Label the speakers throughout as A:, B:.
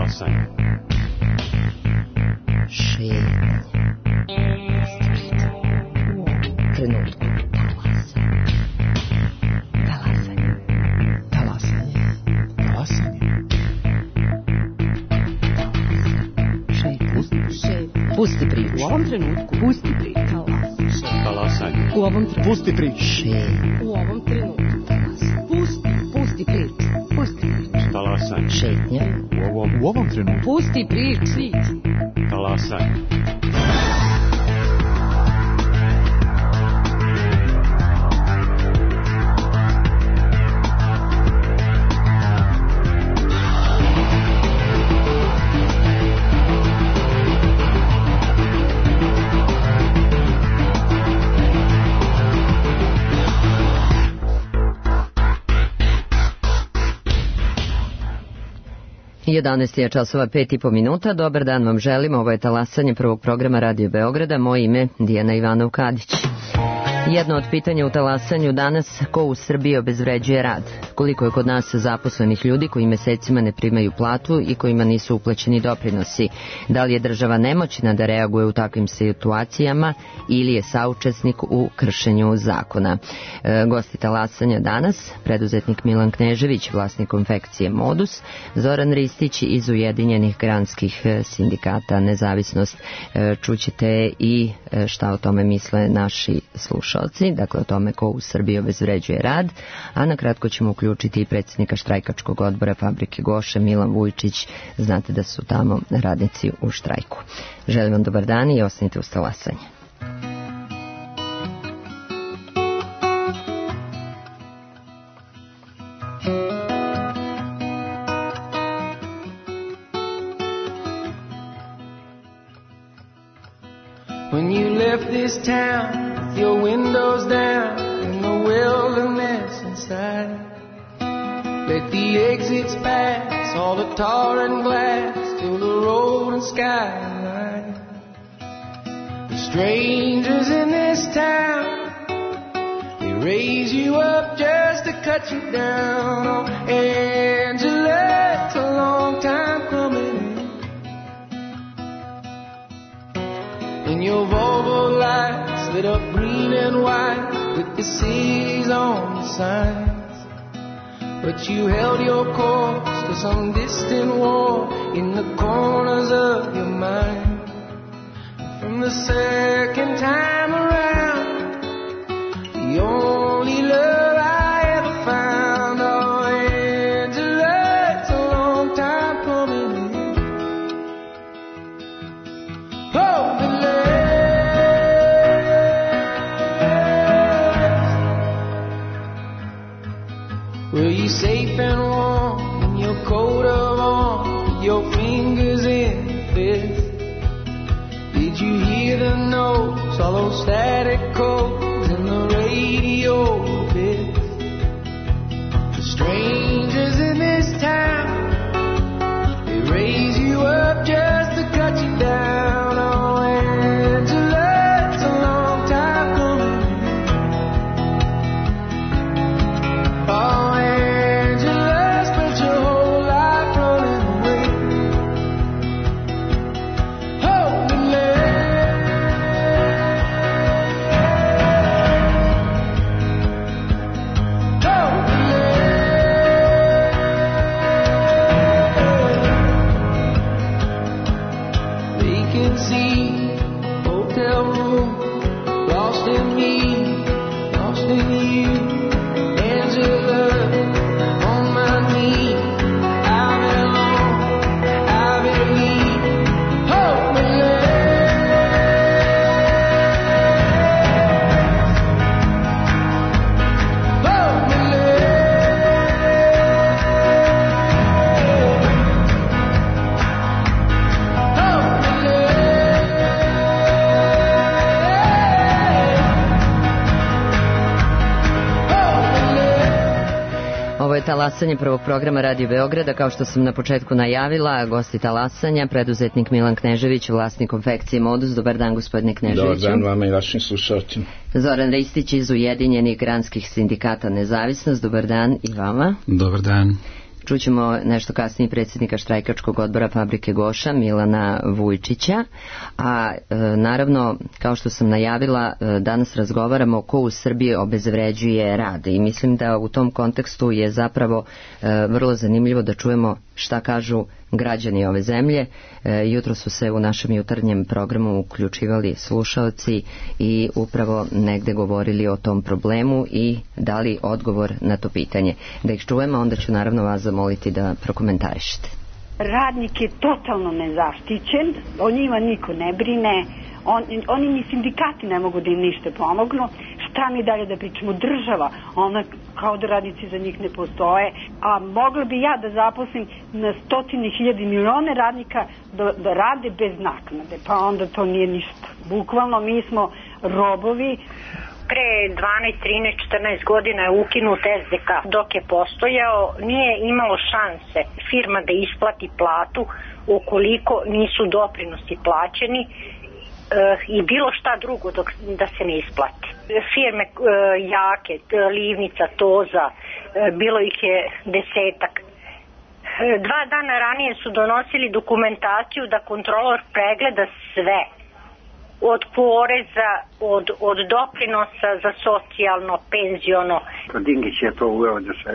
A: Talasanje.
B: Šetnje. Trenutku. Talasanje. Talasanje. Pusti priču.
C: U ovom trenutku. Pusti priču.
A: Talasanje.
C: U ovom trenutku.
D: Pusti priču.
C: U ovom trenutku. Pusti priču. Pusti priču.
A: Talasanje.
B: Šetnja.
D: U ovom trenutku.
C: Pusti priču.
A: Talasanje.
B: Jedanaest je časova 5,5 Dobar dan vam želim. Ovo je Talasanje prvog programa Radio Beograda. Moje ime Dijana Ivanov-Kadić. Jedno od pitanja u Talasanju danas: ko u Srbiji obezvređuje rad? Koliko je kod nas zaposlenih ljudi koji mesecima ne primaju platu i kojima nisu uplaćeni doprinosi? Da li je država nemoćna da reaguje u takvim situacijama ili je saučesnik u kršenju zakona? Gosti Talasanja danas: preduzetnik Milan Knežević, vlasnik konfekcije Modus, Zoran Ristić iz Ujedinjenih granskih sindikata Nezavisnost. Čućete i šta o tome misle naši slušalci, dakle o tome ko u Srbiji obezvređuje rad, a na kratko ćemo uključiti i predsjednika štrajkačkog odbora Fabrike Goše, Milan Vujčić. Znate da su tamo radnici u štrajku. Želim vam dobar dan i ostanite uz Talasanje.
E: When you left this town, with your windows down in the wilderness inside, let the exits pass, all the tar and glass, till the road and sky align. The strangers in this town, they raise you up just to cut you down. Oh, Angela, it's a long time coming. And your Volvo lights lit up green and white with the cities on the signs. But you held your course to some distant war in the corners of your mind. From the second time around, the only love I ever found. Oh, Angela, it's a long time coming. Oh, were you safe and warm in your coat of arms, with your fingers in the fist? Did you hear the notes, all those static codes in the radio bits? The strangers in this town, they raise you up just to cut you down. Oh, Angela, it's a long time coming. Oh,
B: Talasanje prvog programa Radio Beograda. Kao što sam na početku najavila, gosti Talasanja, preduzetnik Milan Knežević, vlasnik konfekcije Modus. Dobar dan, gospodine Kneževiću.
D: Dobar dan vama i vašim slušalcima.
B: Zoran Ristić iz Ujedinjenih granskih sindikata Nezavisnost. Dobar dan i vama.
D: Dobar dan.
B: Čućemo nešto kasnije predsjednika štrajkačkog odbora fabrike Goša, Milana Vujčića, a naravno, kao što sam najavila, danas razgovaramo ko u Srbiji obezvređuje rad i mislim da u tom kontekstu je zapravo vrlo zanimljivo da čujemo šta kažu građani ove zemlje. Jutro su se u našem jutarnjem programu uključivali slušaoci i upravo negde govorili o tom problemu i dali odgovor na to pitanje. Da ih čujemo, onda ću naravno vas zamoliti da prokomentarišete.
F: Radnik je totalno nezaštićen, o njima niko ne brine, oni ni sindikati ne mogu da im ništa pomognu. Šta mi dalje da pričamo? Država, ona kao da radnici za njih ne postoje, a mogla bi ja da zaposlim na stotine hiljade milione radnika da rade bez naknade, pa onda to nije ništa. Bukvalno mi smo robovi.
G: Pre 12, 13, 14 godina je ukinut SDK. Dok je postojao, nije imalo šanse firma da isplati platu ukoliko nisu doprinosi plaćeni i bilo šta drugo da se ne isplati. Firme jake, Livnica, Toza, bilo ih je 10-ak. 2 dana ranije su donosili dokumentaciju da kontrolor pregleda sve. Od poreza, od doprinosa za socijalno, penziono.
H: Dingić je to uveo da se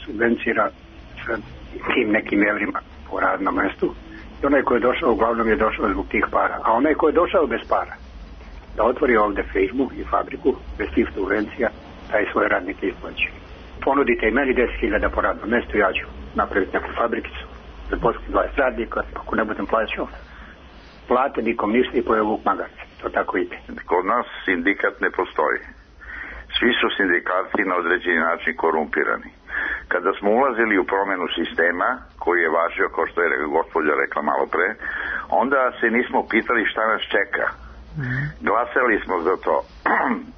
H: subvencira sa tim nekim evrima po radnom mestu. I onaj ko je došao, uglavnom je došao zbog tih para. A onaj ko je došao bez para, da otvori ovde Facebook i fabriku, bez tih subvencija, taj svoje radnike isplaći. Ponudite i meni 10.000 po radnom mestu, ja ću napraviti neku fabrikicu, da poslim 20 radnika, ako ne budem plaćao, plate nikom ništa i pojeo vuk magarca. To tako ide.
I: Kod nas sindikat ne postoji. Svi su sindikati na određeni način korumpirani. Kada smo ulazili u promenu sistema, koji je važio, kao što je gospođa rekla malo pre, onda se nismo pitali šta nas čeka. Glasali smo za to.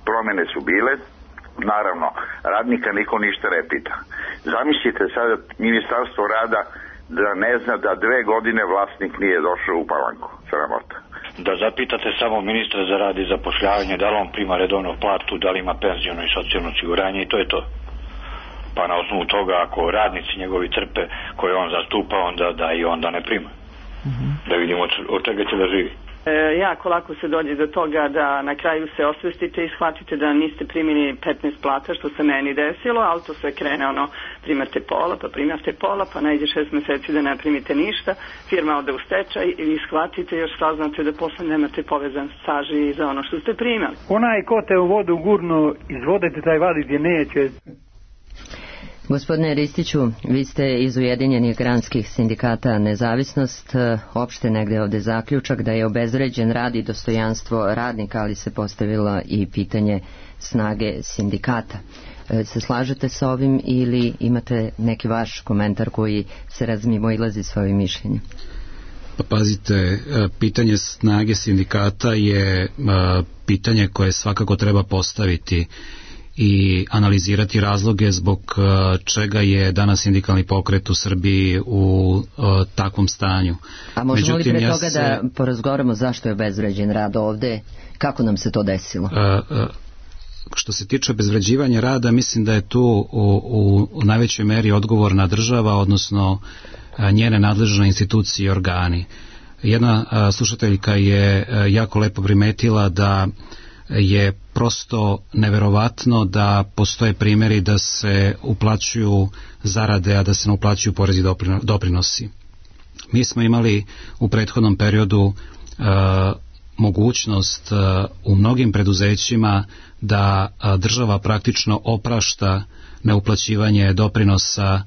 I: Promene su bile, naravno, radnika niko ništa ne pita. Zamislite sada Ministarstvo rada da ne zna da 2 godine vlasnik nije došao u Palanku. Sramota.
J: Da zapitate samo ministra za rad i zapošljavanje da li on prima redovnu platu, da li ima penziono i socijalno osiguranje i to je to. Pa na osnovu toga ako radnici njegovi trpe koje on zastupa, onda da i onda ne prima. Da vidimo od čega će da živi.
K: Jako lako se dođe do toga da na kraju se osvestite i shvatite da niste primili 15 plata, što se meni desilo, ali to sve krene primate pola, pa najde 6 meseci da ne primite ništa, firma ode u stečaj i shvatite još saznate da posle nemate povezan staž i za ono što ste primali.
L: Onaj ko te u vodu gurnu, iz vode te taj vaditi neće.
B: Gospodine Ristiću, vi ste iz Ujedinjenih granskih sindikata Nezavisnost, opšte negde ovde zaključak da je obezvređen rad i dostojanstvo radnika, ali se postavilo i pitanje snage sindikata. Se slažete sa ovim ili imate neki vaš komentar koji se razmimoilazi s ovim mišljenjem?
M: Pa pazite, pitanje snage sindikata je pitanje koje svakako treba postaviti i analizirati razloge zbog čega je danas sindikalni pokret u Srbiji u takvom stanju.
B: A možemo li pre toga da porazgovaramo zašto je obezvređen rad ovde? Kako nam se to desilo?
M: Što se tiče obezvređivanja rada, mislim da je tu u najvećoj meri odgovorna država, odnosno njene nadležne institucije i organi. Jedna slušateljka je jako lepo primetila da je prosto neverovatno da postoje primjeri da se uplaćuju zarade, a da se ne uplaćuju porezi doprinosi. Mi smo imali u prethodnom periodu mogućnost u mnogim preduzećima da država praktično oprašta neuplaćivanje doprinosa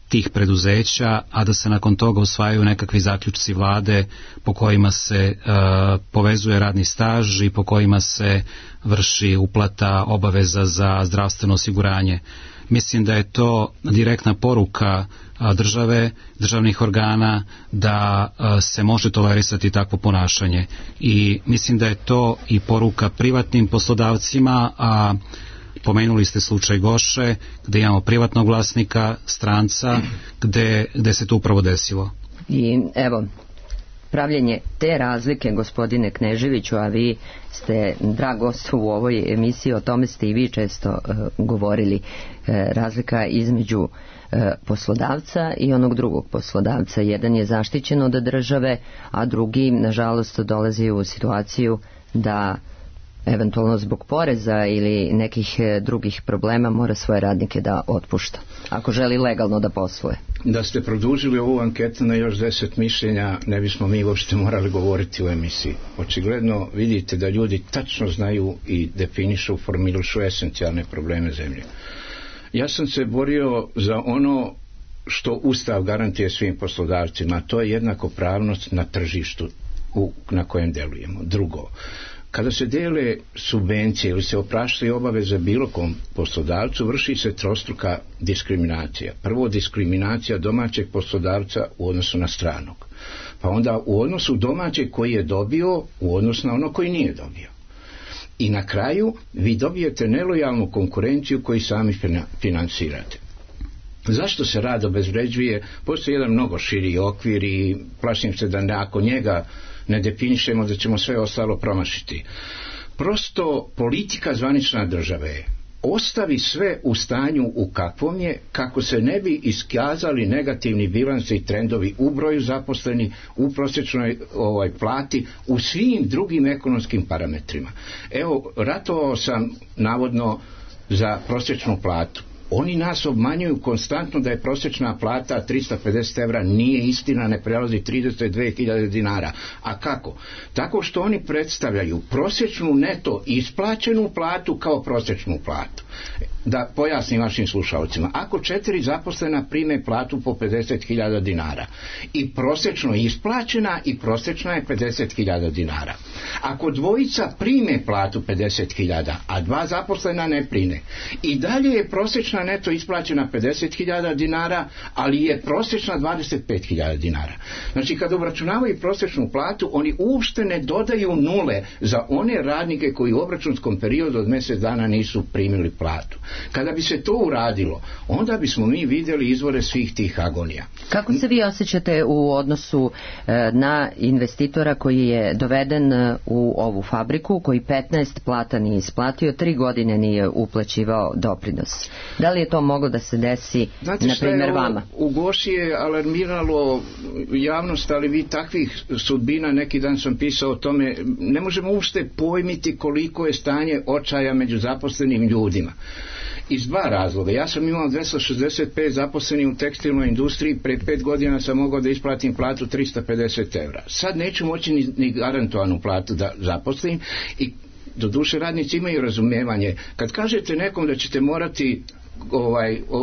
M: tih preduzeća, a da se nakon toga usvajaju nekakvi zaključci vlade po kojima se povezuje radni staž i po kojima se vrši uplata obaveza za zdravstveno osiguranje. Mislim da je to direktna poruka države, državnih organa da se može tolerisati takvo ponašanje. I mislim da je to i poruka privatnim poslodavcima, a pomenuli ste slučaj Goše, gde imamo privatnog vlasnika, stranca, gde se to upravo desilo.
B: I evo, pravljenje te razlike, gospodine Kneževiću, a vi ste drag gost u ovoj emisiji, o tome ste i vi često govorili, razlika između poslodavca i onog drugog poslodavca. Jedan je zaštićen od države, a drugi, nažalost, dolazi u situaciju da eventualno zbog poreza ili nekih drugih problema mora svoje radnike da otpušta, ako želi legalno da posluje.
D: Da ste produžili ovu anketu na još 10 mišljenja, ne bismo mi uopšte morali govoriti u emisiji. Očigledno vidite da ljudi tačno znaju i definišu, formulišu esencijalne probleme zemlje. Ja sam se borio za ono što Ustav garantuje svim poslodavcima, to je jednakopravnost na tržištu na kojem delujemo. Drugo, kada se dele subvencije ili se opraštaju obaveze bilo kom poslodavcu, vrši se trostruka diskriminacija. Prvo, diskriminacija domaćeg poslodavca u odnosu na stranog. Pa onda u odnosu domaćeg koji je dobio u odnosu na ono koji nije dobio. I na kraju vi dobijete nelojalnu konkurenciju koju sami finansirate. Zašto se rad obezvređuje? Postoji jedan mnogo širi okvir i plašim se da ako njega ne definišemo da ćemo sve ostalo promašiti. Prosto politika zvanična države ostavi sve u stanju u kakvom je, kako se ne bi iskazali negativni bilansi i trendovi u broju zaposlenih, u prosječnoj plati, u svim drugim ekonomskim parametrima. Evo, ratovao sam navodno za prosječnu platu. Oni nas obmanjuju konstantno da je prosječna plata 350 evra, nije istina, ne prelazi 32.000 dinara. A kako? Tako što oni predstavljaju prosječnu neto isplaćenu platu kao prosječnu platu. Da pojasnim vašim slušalcima, ako 4 zaposlena prime platu po 50.000 dinara i prosječno isplaćena i prosječna je 50.000 dinara. Ako dvojica prime platu 50.000, a 2 zaposlena ne prime, i dalje je prosječna neto isplaćena 50.000 dinara, ali je prosječna 25.000 dinara. Znači, kada obračunavaju prosječnu platu, oni uopšte ne dodaju nule za one radnike koji u obračunskom periodu od mjesec dana nisu primili platu. Kada bi se to uradilo, onda bismo mi vidjeli izvore svih tih agonija.
B: Kako se vi osjećate u odnosu na investitora koji je doveden u ovu fabriku, koji 15 plata nije isplatio, 3 godine nije uplaćivao doprinos? Da li je to moglo da se desi, na primjer, vama?
D: U Goši je alarmiralo javnost, ali vi takvih sudbina, neki dan sam pisao o tome, ne možemo uopšte pojmiti koliko je stanje očaja među zaposlenim ljudima. Iz 2 razloga. Ja sam imao 265 zaposlenih u tekstilnoj industriji, pre 5 godina sam mogao da isplatim platu 350 evra. Sad neću moći ni garantovanu platu da zaposlim i doduše radnici imaju razumijevanje. Kad kažete nekom da ćete morati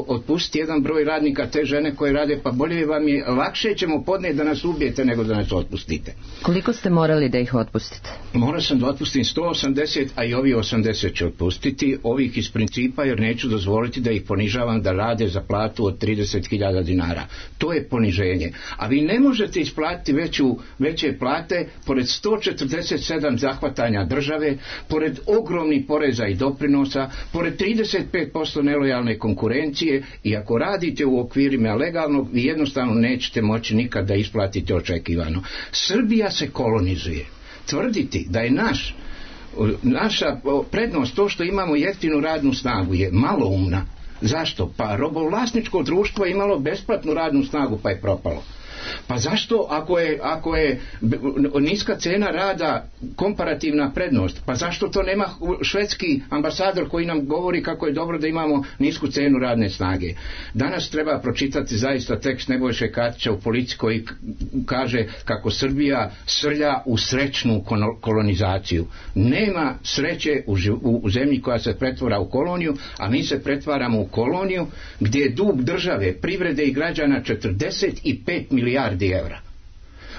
D: otpustiti jedan broj radnika, te žene koje rade, pa bolje vam je, lakše ćemo podnijeti da nas ubijete nego da nas otpustite.
B: Koliko ste morali da ih otpustite?
D: Morao sam da otpustim 180, a i ovi 80 ću otpustiti, ovih iz principa, jer neću dozvoliti da ih ponižavam da rade za platu od 30.000 dinara. To je poniženje. A vi ne možete isplatiti veće plate pored 147 zahvatanja države, pored ogromnih poreza i doprinosa, pored 35% nelojalne konkurencije, i ako radite u okvirima legalnog, vi jednostavno nećete moći nikad da isplatite očekivano. Srbija se kolonizuje. Tvrditi da je naša prednost to što imamo jeftinu radnu snagu je maloumna. Zašto? Pa robovlasničko društvo je imalo besplatnu radnu snagu pa je propalo. Pa zašto ako je niska cena rada komparativna prednost, pa zašto to nema švedski ambasador koji nam govori kako je dobro da imamo nisku cenu radne snage? Danas treba pročitati zaista tekst Nebojše Katića u Politici koji kaže kako Srbija srlja u srećnu kolonizaciju. Nema sreće u zemlji koja se pretvara u koloniju, a mi se pretvaramo u koloniju gdje je dug države, privrede i građana 45 milijardi evra.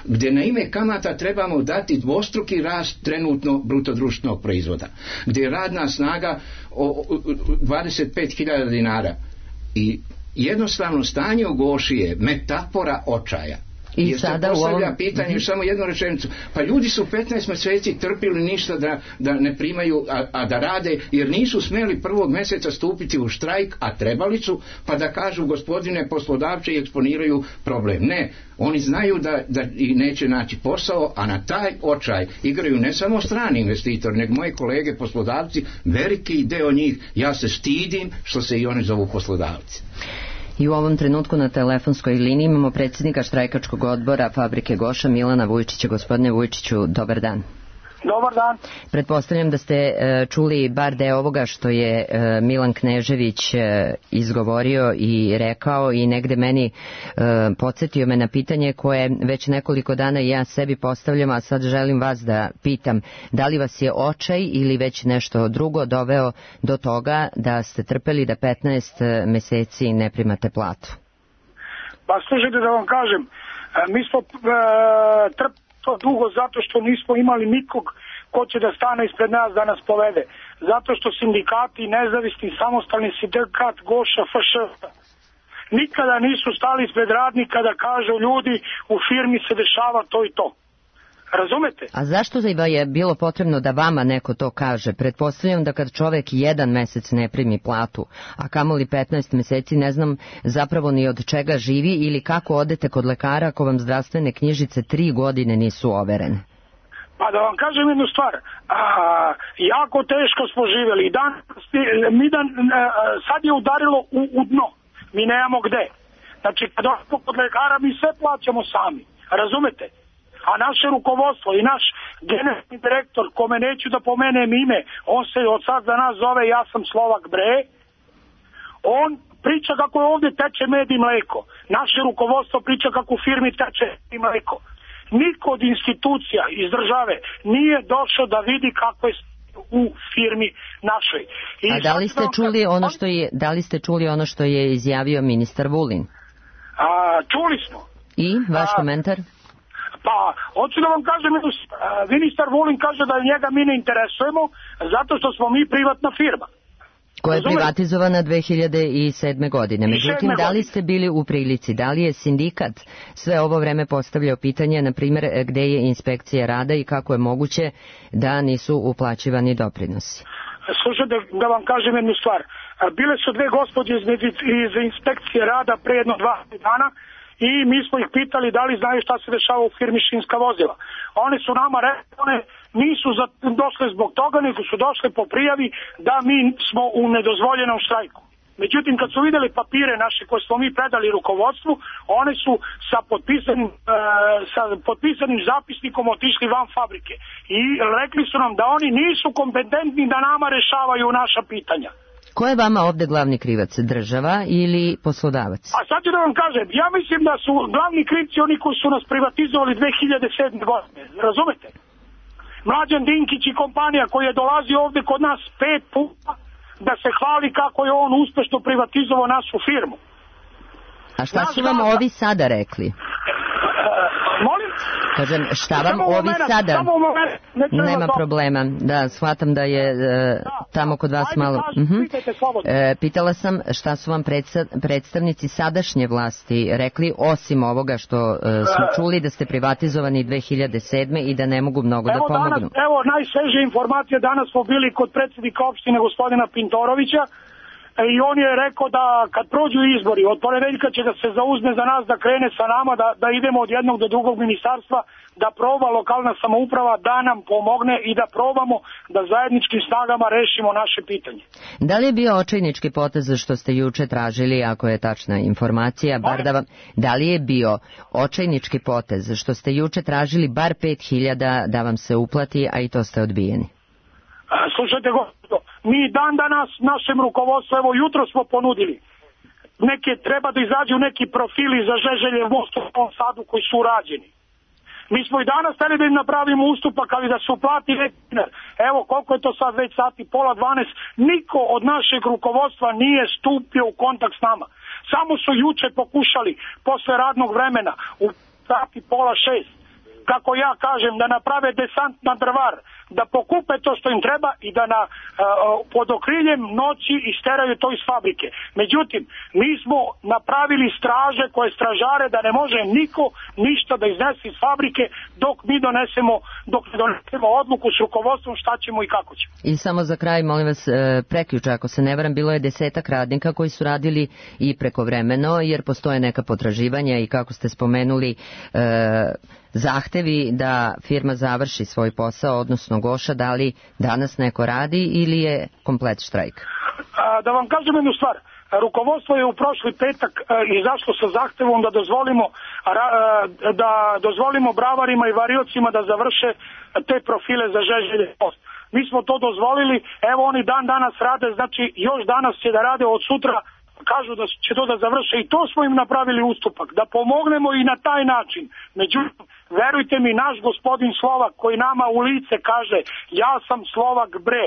D: Gdje na ime kamata trebamo dati dvostruki rast trenutno brutodruštvenog proizvoda. Gdje je radna snaga 25.000 dinara. I jednostavno stanje u Goši je metafora očaja.
B: I
D: jer
B: sada
D: se postavlja
B: u ovom...
D: pitanje, samo jednu rečenicu, pa ljudi su 15 mjeseci trpili ništa da ne primaju, a da rade, jer nisu smjeli 1. mjeseca stupiti u štrajk, a trebali su, pa da kažu gospodine poslodavče i eksponiraju problem. Ne, oni znaju da i neće naći posao, a na taj očaj igraju ne samo strani investitori, nego moji kolege poslodavci, veliki deo njih. Ja se stidim što se i oni zovu poslodavci.
B: I u ovom trenutku na telefonskoj liniji imamo predsjednika štrajkačkog odbora Fabrike Goša, Milana Vujčića. Gospodine Vujčiću, dobar dan.
N: Dobar dan.
B: Pretpostavljam da ste čuli bar deo ovoga što je Milan Knežević izgovorio i rekao i negde meni podsjetio me na pitanje koje već nekoliko dana ja sebi postavljam, a sad želim vas da pitam da li vas je očaj ili već nešto drugo doveo do toga da ste trpeli da 15 meseci ne primate platu?
N: Pa slušajte da vam kažem, mi smo trpeli to dugo zato što nismo imali nikog ko će da stane ispred nas da nas povede. Zato što sindikati, nezavisni, samostalni sindikat Goša, FŠ, nikada nisu stali ispred radnika da kažu ljudi u firmi se dešava to i to. Razumete?
B: A zašto je bilo potrebno da vama neko to kaže? Pretpostavljam da kad čovek 1 mesec ne primi platu, a kamoli 15 meseci, ne znam zapravo ni od čega živi ili kako odete kod lekara ako vam zdravstvene knjižice 3 godine nisu overene.
N: Pa da vam kažem jednu stvar, jako teško smo živjeli. Sad je udarilo u dno. Mi nemamo gde. Znači kad odemo kod lekara mi sve plaćamo sami. Razumete? A naše rukovodstvo i naš generalni direktor, kome neću da pomenem ime, on se od sad za nas zove Ja sam Slovak bre, on priča kako je ovdje teče med i mleko. Naše rukovodstvo priča kako u firmi teče med i mleko. Niko od institucija iz države nije došao da vidi kako je u firmi našoj.
B: A da li ste čuli ono što je izjavio ministar Vulin?
N: Čuli smo.
B: I vaš komentar?
N: Pa, hoću da vam kažem, ministar Vulin kaže da njega mi ne interesujemo zato što smo mi privatna firma.
B: Koja je privatizovana 2007. godine. Međutim, da li ste bili u prilici, da li je sindikat sve ovo vreme postavljao pitanje, na primjer, gde je inspekcija rada i kako je moguće da nisu uplaćivani doprinosi?
N: Slušajte, da vam kažem jednu stvar. Bile su 2 gospođe iz inspekcije rada pre jedno 2 dana i mi smo ih pitali da li znaju šta se dešava u firmi Šinska vozila. One su nama rekli, one nisu došle zbog toga, nego su došle po prijavi da mi smo u nedozvoljenom štrajku. Međutim, kad su vidjeli papire naše koje smo mi predali rukovodstvu, one su sa potpisanim zapisnikom otišli van fabrike. I rekli su nam da oni nisu kompetentni da nama rešavaju naša pitanja.
B: Ko je vama ovde glavni krivac? Država ili poslodavac?
N: A sad ću da vam kažem, ja mislim da su glavni krivci oni koji su nas privatizovali 2007. godine. Razumete? Mlađan Dinkić i kompanija koji je dolazio ovde kod nas 5 puta da se hvali kako je on uspešno privatizovao našu firmu.
B: A šta su vam ovi sada rekli?
N: Molim?
B: Kažem, šta vam ovi sada? Nema problema. Da, shvatam da je tamo kod vas malo... Pitala sam šta su vam predstavnici sadašnje vlasti rekli, osim ovoga što smo čuli da ste privatizovani 2007. i da ne mogu mnogo da pomognu.
N: Evo, najsvežije informacije, danas smo bili kod predsjednika opštine gospodina Pintorovića, i on je rekao da kad prođu izbori, od ponedeljka će da se zauzme za nas, da krene sa nama, da idemo od jednog do drugog ministarstva, da proba lokalna samouprava da nam pomogne i da probamo da zajedničkim snagama rešimo naše pitanje.
B: Da li je bio očajnički potez što ste juče tražili, ako je tačna informacija, da li je bio očajnički potez što ste juče tražili bar 5.000 da vam se uplati, a i to ste odbijeni?
N: Slušajte, gospodo, mi dan danas našem rukovodstvu, evo jutro smo ponudili, treba da izađu neki profili za Žeželje most u Novom Sadu koji su urađeni. Mi smo i danas hteli da im napravimo ustupak, ali da se uplati neki dinar. Evo koliko je to sad već sati, 11:30, niko od našeg rukovodstva nije stupio u kontakt s nama. Samo su juče pokušali, posle radnog vremena, u sati 5:30, kako ja kažem, da naprave desant na Drvar, da pokupe to što im treba i da pod okriljem noći isteraju to iz fabrike. Međutim, mi smo napravili straže koje stražare da ne može niko ništa da iznese iz fabrike dok ne donesemo odluku s rukovodstvom šta ćemo i kako ćemo.
B: I samo za kraj, molim vas, prekjuče, ako se ne varam, bilo je 10 radnika koji su radili i prekovremeno, jer postoje neka potraživanja i kako ste spomenuli zahtevi da firma završi svoj posao, odnosno Goša, da li danas neko radi ili je komplet štrajk?
N: Da vam kažem jednu stvar, rukovodstvo je u prošli petak izašlo sa zahtevom da dozvolimo bravarima i variocima da završe te profile za Žeželjev most. Mi smo to dozvolili, evo oni danas rade, znači još danas će da rade, od sutra kažu da će to da završe i to smo im napravili ustupak, da pomognemo i na taj način. Međutim, verujte mi, naš gospodin Slovak koji nama u lice kaže ja sam Slovak bre,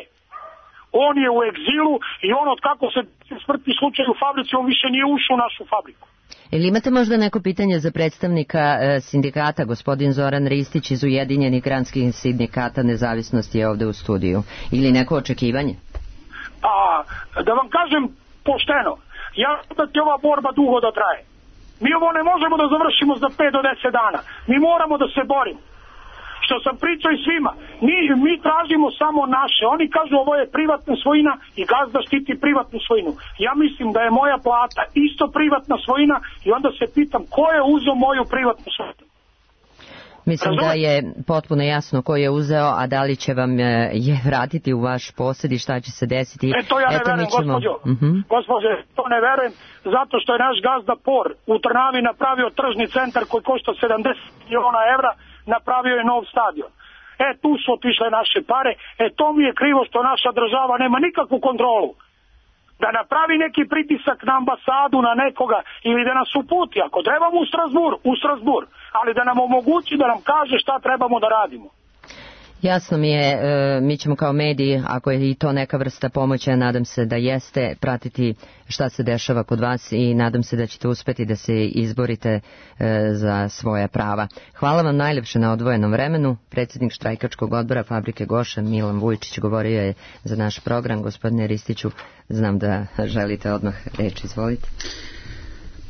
N: on je u egzilu i on od kako se smrtni slučaj u fabrici, on više nije ušao u našu fabriku.
B: Ili imate možda neko pitanje za predstavnika sindikata, gospodin Zoran Ristić iz Ujedinjenih granskih sindikata Nezavisnosti je ovde u studiju, ili neko očekivanje?
N: Da vam kažem pošteno, ja da će ova borba dugo da traje. Mi ovo ne možemo da završimo za 5 do 10 dana. Mi moramo da se borimo. Što sam pričao i svima, mi tražimo samo naše. Oni kažu ovo je privatna svojina i gazda štiti privatnu svojinu. Ja mislim da je moja plata isto privatna svojina i onda se pitam ko je uzeo moju privatnu svojinu.
B: Mislim da je potpuno jasno ko je uzeo, a da li će vam je vratiti u vaš posjed i šta će se desiti.
N: To ja ne verujem, gospođo, to ne verujem, zato što je naš gazda Por u Trnavi napravio tržni centar koji košta 70 miliona evra, napravio je nov stadion. Tu su otišle naše pare, to mi je krivo što naša država nema nikakvu kontrolu. Da napravi neki pritisak na ambasadu, na nekoga, ili da nas uputi, ako trebamo u Strasbourg, ali da nam omogući, da nam kaže šta trebamo da radimo.
B: Jasno mi je, mi ćemo kao mediji, ako je i to neka vrsta pomoći, nadam se da jeste, pratiti šta se dešava kod vas i nadam se da ćete uspeti da se izborite za svoja prava. Hvala vam najljepše na odvojenom vremenu. Predsjednik štrajkačkog odbora fabrike Goša, Milan Vujčić, govorio je za naš program. Gospodine Ristiću, znam da želite odmah reč, izvolite.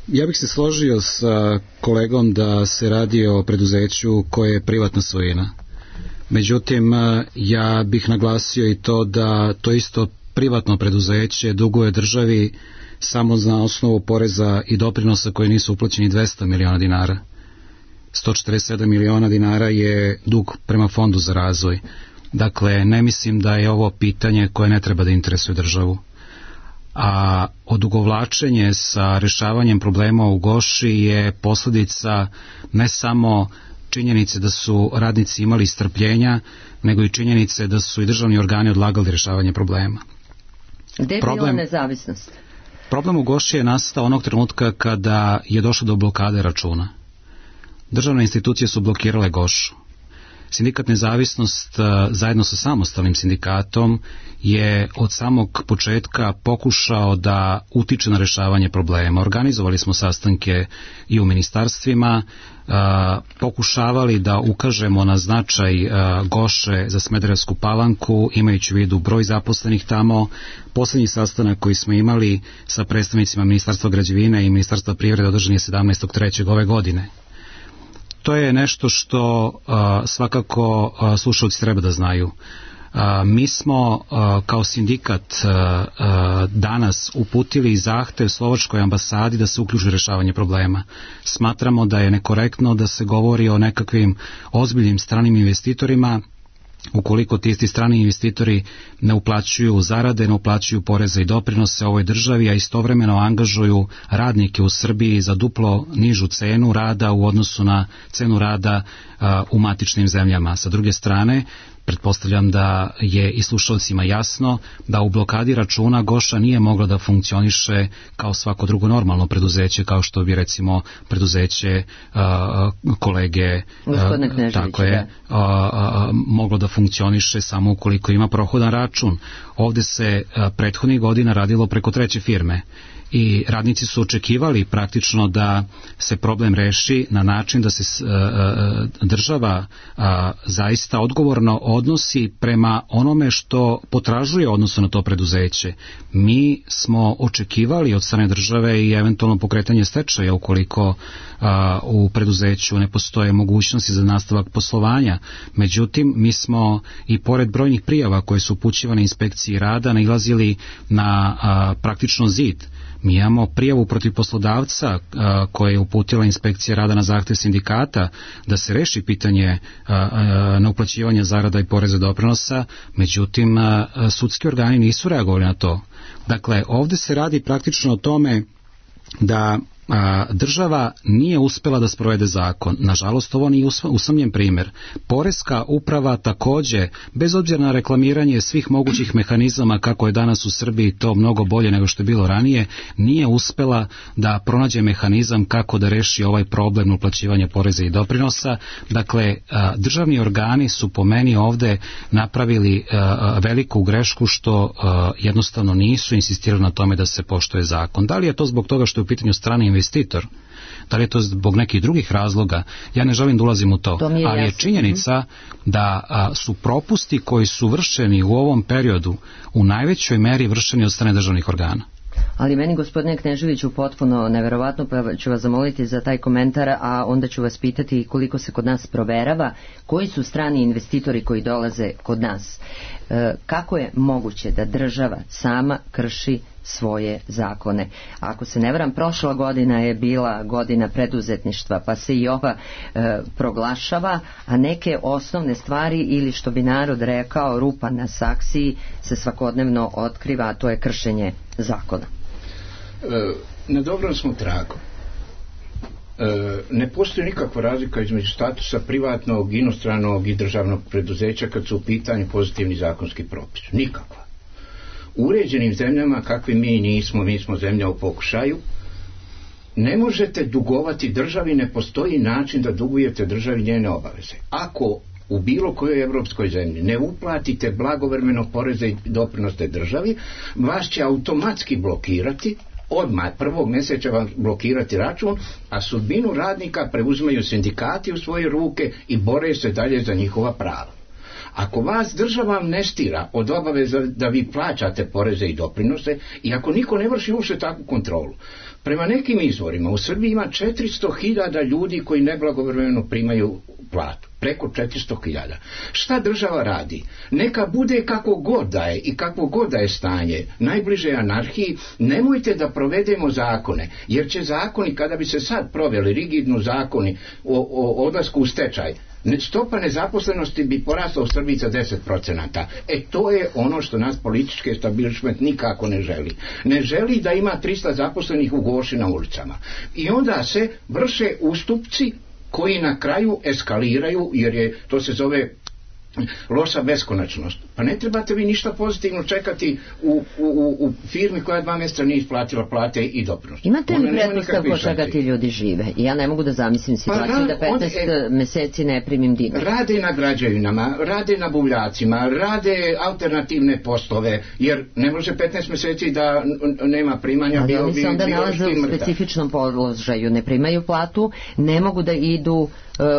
M: Ja bih se složio sa kolegom da se radi o preduzeću koje je privatna svojina. Međutim, ja bih naglasio i to da to isto privatno preduzeće duguje državi samo na osnovu poreza i doprinosa koji nisu uplaćeni 200 miliona dinara. 147 miliona dinara je dug prema Fondu za razvoj. Dakle, ne mislim da je ovo pitanje koje ne treba da interesuje državu. A odugovlačenje sa rešavanjem problema u Goši je posljedica ne samo činjenice da su radnici imali strpljenja, nego i činjenice da su i državni organi odlagali rješavanje problema.
B: Gde je bila nezavisnost?
M: Problem u Goši je nastao onog trenutka kada je došlo do blokade računa. Državne institucije su blokirale Gošu. Sindikat Nezavisnost zajedno sa samostalnim sindikatom je od samog početka pokušao da utiče na rešavanje problema. Organizovali smo sastanke i u ministarstvima, pokušavali da ukažemo na značaj Goše za Smederevsku Palanku, imajući u vidu broj zaposlenih tamo. Poslednji sastanak koji smo imali sa predstavnicima Ministarstva građevine i Ministarstva privrede održan je 17.3. ove godine. To je nešto što svakako slušalci treba da znaju. Mi smo kao sindikat danas uputili zahtev Slovačkoj ambasadi da se uključi u rešavanje problema. Smatramo da je nekorektno da se govori o nekakvim ozbiljnim stranim investitorima ukoliko ti isti strani investitori ne uplaćuju zarade, ne uplaćuju poreze i doprinose ovoj državi, a istovremeno angažuju radnike u Srbiji za duplo nižu cenu rada u odnosu na cenu rada u matičnim zemljama. Sa druge strane, pretpostavljam da je i slušalcima jasno da u blokadi računa Goša nije mogla da funkcioniše kao svako drugo normalno preduzeće, kao što bi recimo preduzeće kolege tako je, moglo da funkcioniše samo ukoliko ima prohodan račun. Ovde se prethodnih godina radilo preko treće firme i radnici su očekivali praktično da se problem reši na način da se država zaista odgovorno odnosi prema onome što potražuje odnosno na to preduzeće. Mi smo očekivali od strane države i eventualno pokretanje stečaja ukoliko u preduzeću ne postoje mogućnosti za nastavak poslovanja. Međutim, mi smo i pored brojnih prijava koje su upućivane inspekciji rada nailazili na praktično zid. Mi imamo prijavu protiv poslodavca koje je uputila inspekcija rada na zahtev sindikata da se reši pitanje neuplaćivanja zarada i poreza doprinosa, međutim sudski organi nisu reagovali na to. Dakle, ovdje se radi praktično o tome da država nije uspjela da sprovede zakon. Nažalost, ovo nije usamljen primjer. Poreska uprava također, bez obzira na reklamiranje svih mogućih mehanizama kako je danas u Srbiji to mnogo bolje nego što je bilo ranije, nije uspjela da pronađe mehanizam kako da reši ovaj problem uplaćivanja poreza i doprinosa. Dakle, državni organi su po meni ovdje napravili veliku grešku što jednostavno nisu insistirali na tome da se poštuje zakon. Da li je to zbog toga što je u pitanju strani investitor? Da li je to zbog nekih drugih razloga? Ja ne želim da ulazim u to, ali je činjenica da su propusti koji su vršeni u ovom periodu u najvećoj meri vršeni od strane državnih organa.
B: Ali meni, gospodine Kneževiću, potpuno neverovatno, pa ću vas zamoliti za taj komentar, a onda ću vas pitati koliko se kod nas proverava, koji su strani investitori koji dolaze kod nas. Kako je moguće da država sama krši svoje zakone? Ako se ne varam, prošla godina je bila godina preduzetništva, pa se i ova proglašava, a neke osnovne stvari, ili što bi narod rekao, rupa na saksiji, se svakodnevno otkriva, a to je kršenje zakona.
D: Na dobrom smo tragu. Ne postoji nikakva razlika između statusa privatnog, inostranog i državnog preduzeća kad su u pitanju pozitivni zakonski propis. Nikakva. U uređenim zemljama, kakvi mi smo zemlja u pokušaju, ne možete dugovati državi, ne postoji način da dugujete državi njene obaveze. Ako u bilo kojoj evropskoj zemlji ne uplatite blagovremeno poreze i doprinose državi, vas će automatski blokirati, odmah prvog mjeseca vam blokirati račun, a sudbinu radnika preuzimaju sindikati u svoje ruke i bore se dalje za njihova prava. Ako vas država amnestira od obaveza da vi plaćate poreze i doprinose i ako niko ne vrši uopšte takvu kontrolu, prema nekim izvorima u Srbiji ima 400.000 ljudi koji neblagovremeno primaju platu. Preko 400.000. Šta država radi? Neka bude kako god da je i kako god da je stanje, najbliže anarhiji, nemojte da provedemo zakone, jer će zakoni, kada bi se sad proveli rigidno zakoni o odlasku u stečaj, stopa nezaposlenosti bi porasla u Srbiji za 10%. To je ono što nas politički establishment nikako ne želi. Ne želi da ima 300 zaposlenih u Goši na ulicama. I onda se vrše ustupci koji na kraju eskaliraju, jer to se zove loša beskonačnost. Pa ne trebate vi ništa pozitivno čekati u firmi koja 2 mjeseca nije isplatila plate i doprinose.
B: Imate li pretpostavku od čega ti ljudi žive? Ja ne mogu da zamislim situaciju da 15 mjeseci ne primim dinar.
D: Rade na građevinama, rade na buvljacima, rade alternativne poslove, jer ne može 15 mjeseci da nema primanja.
B: Ali oni se onda nalaze u specifičnom položaju, ne primaju platu, ne mogu da idu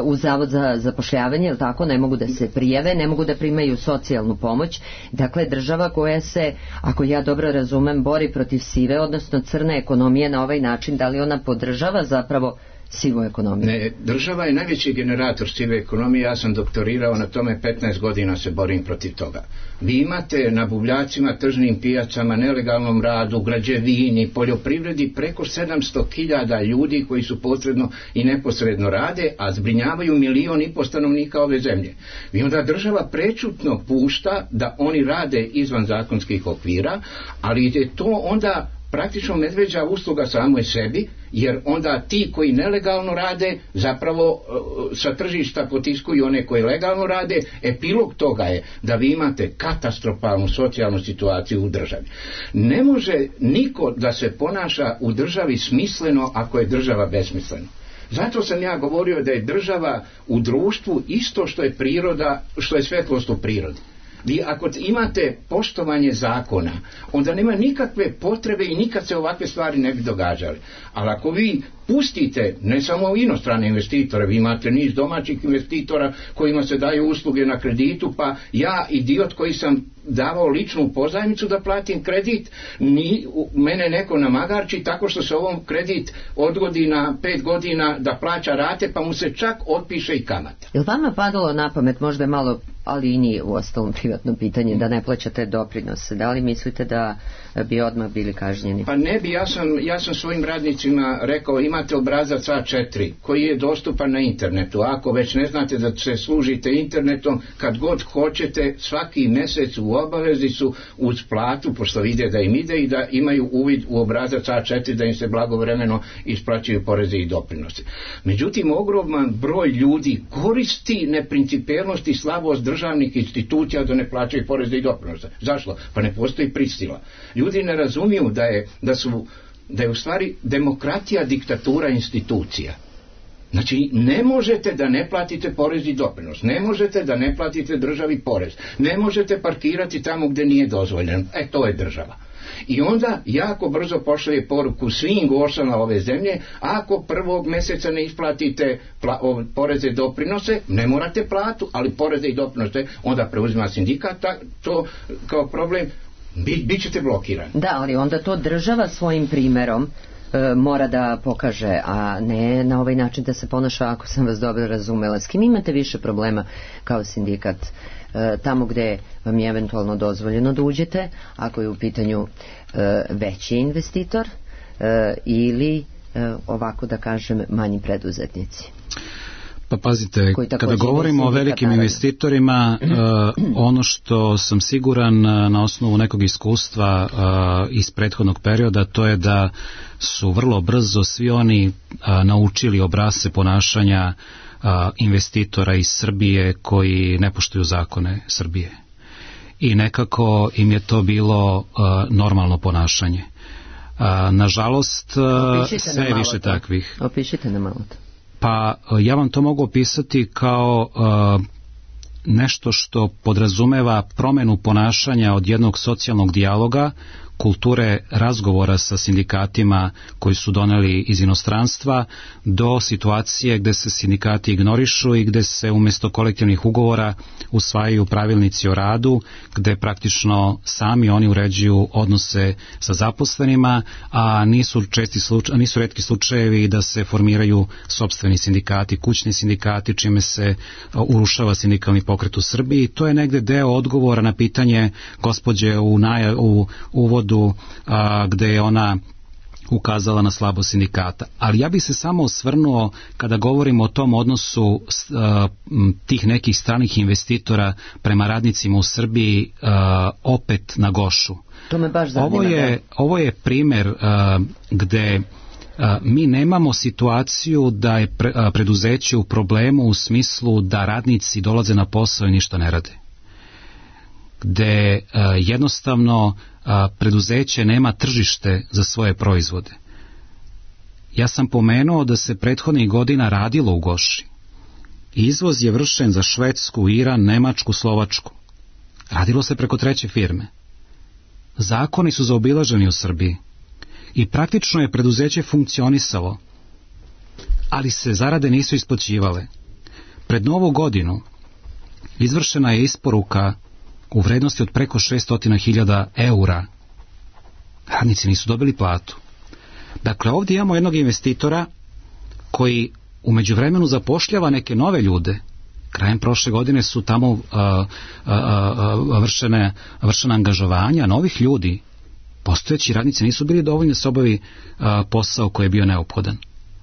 B: u zavod za zapošljavanje, ili tako, ne mogu da se prijave, ne mogu da primaju socijalnu pomoć. Dakle, država koja se, ako ja dobro razumem, bori protiv sive, odnosno crne ekonomije na ovaj način, da li ona podržava zapravo sivu ekonomiju?
D: Ne, država je najveći generator sive ekonomije, ja sam doktorirao na tome, 15 godina se borim protiv toga. Vi imate na buvljacima, tržnim pijacama, nelegalnom radu, građevini, poljoprivredi preko 700.000 ljudi koji su posredno i neposredno rade, a zbrinjavaju 1,5 miliona stanovnika ove zemlje. I onda država prečutno pušta da oni rade izvan zakonskih okvira, ali je to onda praktično medveđa usluga samoj sebi, jer onda ti koji nelegalno rade zapravo sa tržišta potiskuju one koji legalno rade. Epilog toga je da vi imate katastrofalnu socijalnu situaciju u državi. Ne može niko da se ponaša u državi smisleno ako je država besmislena. Zato sam ja govorio da je država u društvu isto što je priroda, što je svetlost u prirodi. Vi ako imate poštovanje zakona, onda nema nikakve potrebe i nikad se ovakve stvari ne bi događale. Ali ako vi pustite, ne samo inostrane investitore, vi imate niz domaćih investitora kojima se daju usluge na kreditu, pa ja, idiot koji sam davao ličnu pozajmicu da platim kredit, mene neko namagarči tako što se ovom kredit odgodi na 5 godina da plaća rate, pa mu se čak otpiše i kamata.
B: Je li vama padalo na pamet, možda je malo, ali i nije u ostalom privatno pitanje, da ne plaćate doprinose? Da li mislite da bi odmah bili kažnjeni?
D: Pa ne bi, ja sam svojim radnicima rekao, imate obrazac A4 koji je dostupan na internetu. Ako već ne znate da se služite internetom, kad god hoćete, svaki mjesec u obavezi su uz platu, pošto vide da im ide, i da imaju uvid u obrazac A4 da im se blagovremeno isplaćuju poreze i doprinose. Međutim, ogroman broj ljudi koristi neprincipijelnost i slabost državnih institucija da ne plaćaju poreze i doprinose. Zašto? Pa ne postoji prisila. Ljudi ne razumiju da je u stvari demokratija diktatura institucija. Znači, ne možete da ne platite porez i doprinos, ne možete da ne platite državi porez, ne možete parkirati tamo gdje nije dozvoljeno. To je država. I onda jako brzo pošalje poruku svim gosama ove zemlje, ako prvog mjeseca ne isplatite poreze i doprinose, ne morate platu, ali poreze i doprinose onda preuzima sindikat, to kao problem, bit ćete blokirani.
B: Da, ali onda to država svojim primjerom mora da pokaže, a ne na ovaj način da se ponaša, ako sam vas dobro razumela. S kim imate više problema kao sindikat? Tamo gdje vam je eventualno dozvoljeno da uđete, ako je u pitanju veći investitor, ili ovako da kažem manji preduzetnici?
M: Pa pazite, kada govorimo o velikim investitorima, ono što sam siguran na osnovu nekog iskustva iz prethodnog perioda, to je da su vrlo brzo svi oni naučili obrasce ponašanja investitora iz Srbije koji ne poštuju zakone Srbije. I nekako im je to bilo normalno ponašanje. Nažalost, sve je više takvih.
B: Opišite nam malo to.
M: Pa ja vam to mogu opisati kao nešto što podrazumeva promjenu ponašanja od jednog socijalnog dijaloga, kulture razgovora sa sindikatima koji su doneli iz inostranstva, do situacije gdje se sindikati ignorišu i gdje se umjesto kolektivnih ugovora usvajaju pravilnici o radu, gdje praktično sami oni uređuju odnose sa zaposlenima, a nisu retki slučajevi da se formiraju sopstveni sindikati, kućni sindikati, čime se urušava sindikalni pokret u Srbiji. To je negdje deo odgovora na pitanje gospođe u uvodu, gdje je ona ukazala na slabo sindikata. Ali ja bih se samo osvrnuo, kada govorimo o tom odnosu tih nekih stranih investitora prema radnicima u Srbiji, opet na Gošu.
B: To me baš zanima.
M: Ovo je primjer gdje mi nemamo situaciju da je preduzeće u problemu u smislu da radnici dolaze na posao i ništa ne rade. Gdje jednostavno preduzeće nema tržište za svoje proizvode. Ja sam pomenuo da se prethodnih godina radilo u Goši. Izvoz je vršen za Švedsku, Iran, Nemačku, Slovačku. Radilo se preko treće firme. Zakoni su zaobilaženi u Srbiji i praktično je preduzeće funkcionisalo, ali se zarade nisu isplaćivale. Pred Novu godinu izvršena je isporuka u vrednosti od preko 600.000 eura. Radnici nisu dobili platu. Dakle, ovdje imamo jednog investitora koji u međuvremenu zapošljava neke nove ljude. Krajem prošle godine su tamo vršena angažovanja novih ljudi. Postojeći radnici nisu bili dovoljni da se obavi posao koji je bio neophodan,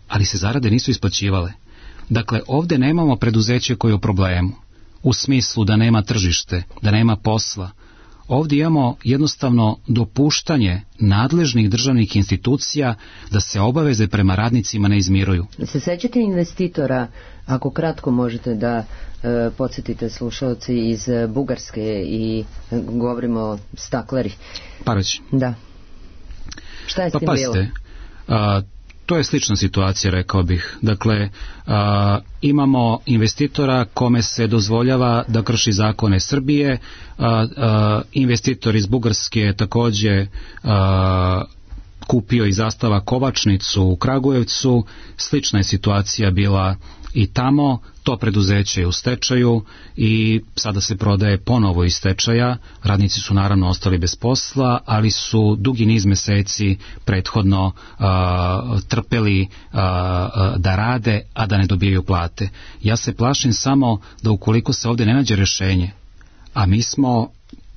M: ali se zarade nisu isplaćivale. Dakle, ovdje nemamo preduzeće koje je u problemu, u smislu da nema tržište, da nema posla. Ovdje imamo jednostavno dopuštanje nadležnih državnih institucija da se obaveze prema radnicima ne izmiruju.
B: Se sećate investitora, ako kratko možete da podsjetite slušalci, iz Bugarske, i govorimo o stakleri?
M: Parać.
B: Da. Šta je s tim bilo?
M: To je slična situacija, rekao bih. Dakle, imamo investitora kome se dozvoljava da krši zakone Srbije, investitor iz Bugarske je takođe kupio i Zastava Kovačnicu u Kragujevcu, slična je situacija bila i tamo, to preduzeće je u stečaju i sada se prodaje ponovo iz stečaja, radnici su naravno ostali bez posla, ali su dugi niz meseci prethodno trpeli da rade, a da ne dobijaju plate. Ja se plašim samo da ukoliko se ovdje ne nađe rješenje, a mi smo,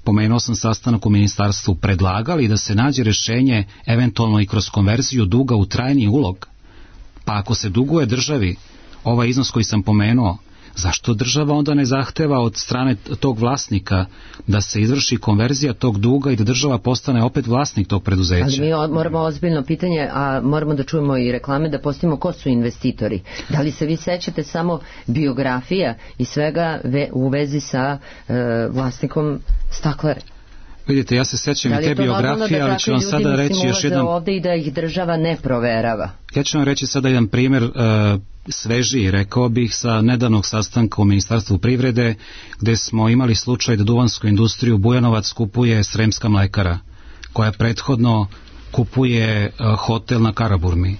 M: pomenuo sam sastanak u ministarstvu, predlagali da se nađe rješenje eventualno i kroz konverziju duga u trajni ulog, pa ako se duguje državi ovaj iznos koji sam pomenuo, zašto država onda ne zahteva od strane tog vlasnika da se izvrši konverzija tog duga i da država postane opet vlasnik tog preduzeća?
B: Ali mi moramo ozbiljno pitanje, a moramo da čujemo i reklame, da postavimo ko su investitori. Da li se vi sećate samo biografija i svega u vezi sa vlasnikom Staklare?
M: Vidite, ja se sećam i te biografije, ali ću vam sada reći još jedan...
B: ovde i da ih država ne proverava.
M: Ja ću vam reći sada jedan primjer svežiji, rekao bih, sa nedavnog sastanka u Ministarstvu privrede, gde smo imali slučaj da duvansku industriju Bujanovac kupuje Sremska mlekara, koja prethodno kupuje hotel na Karaburmi.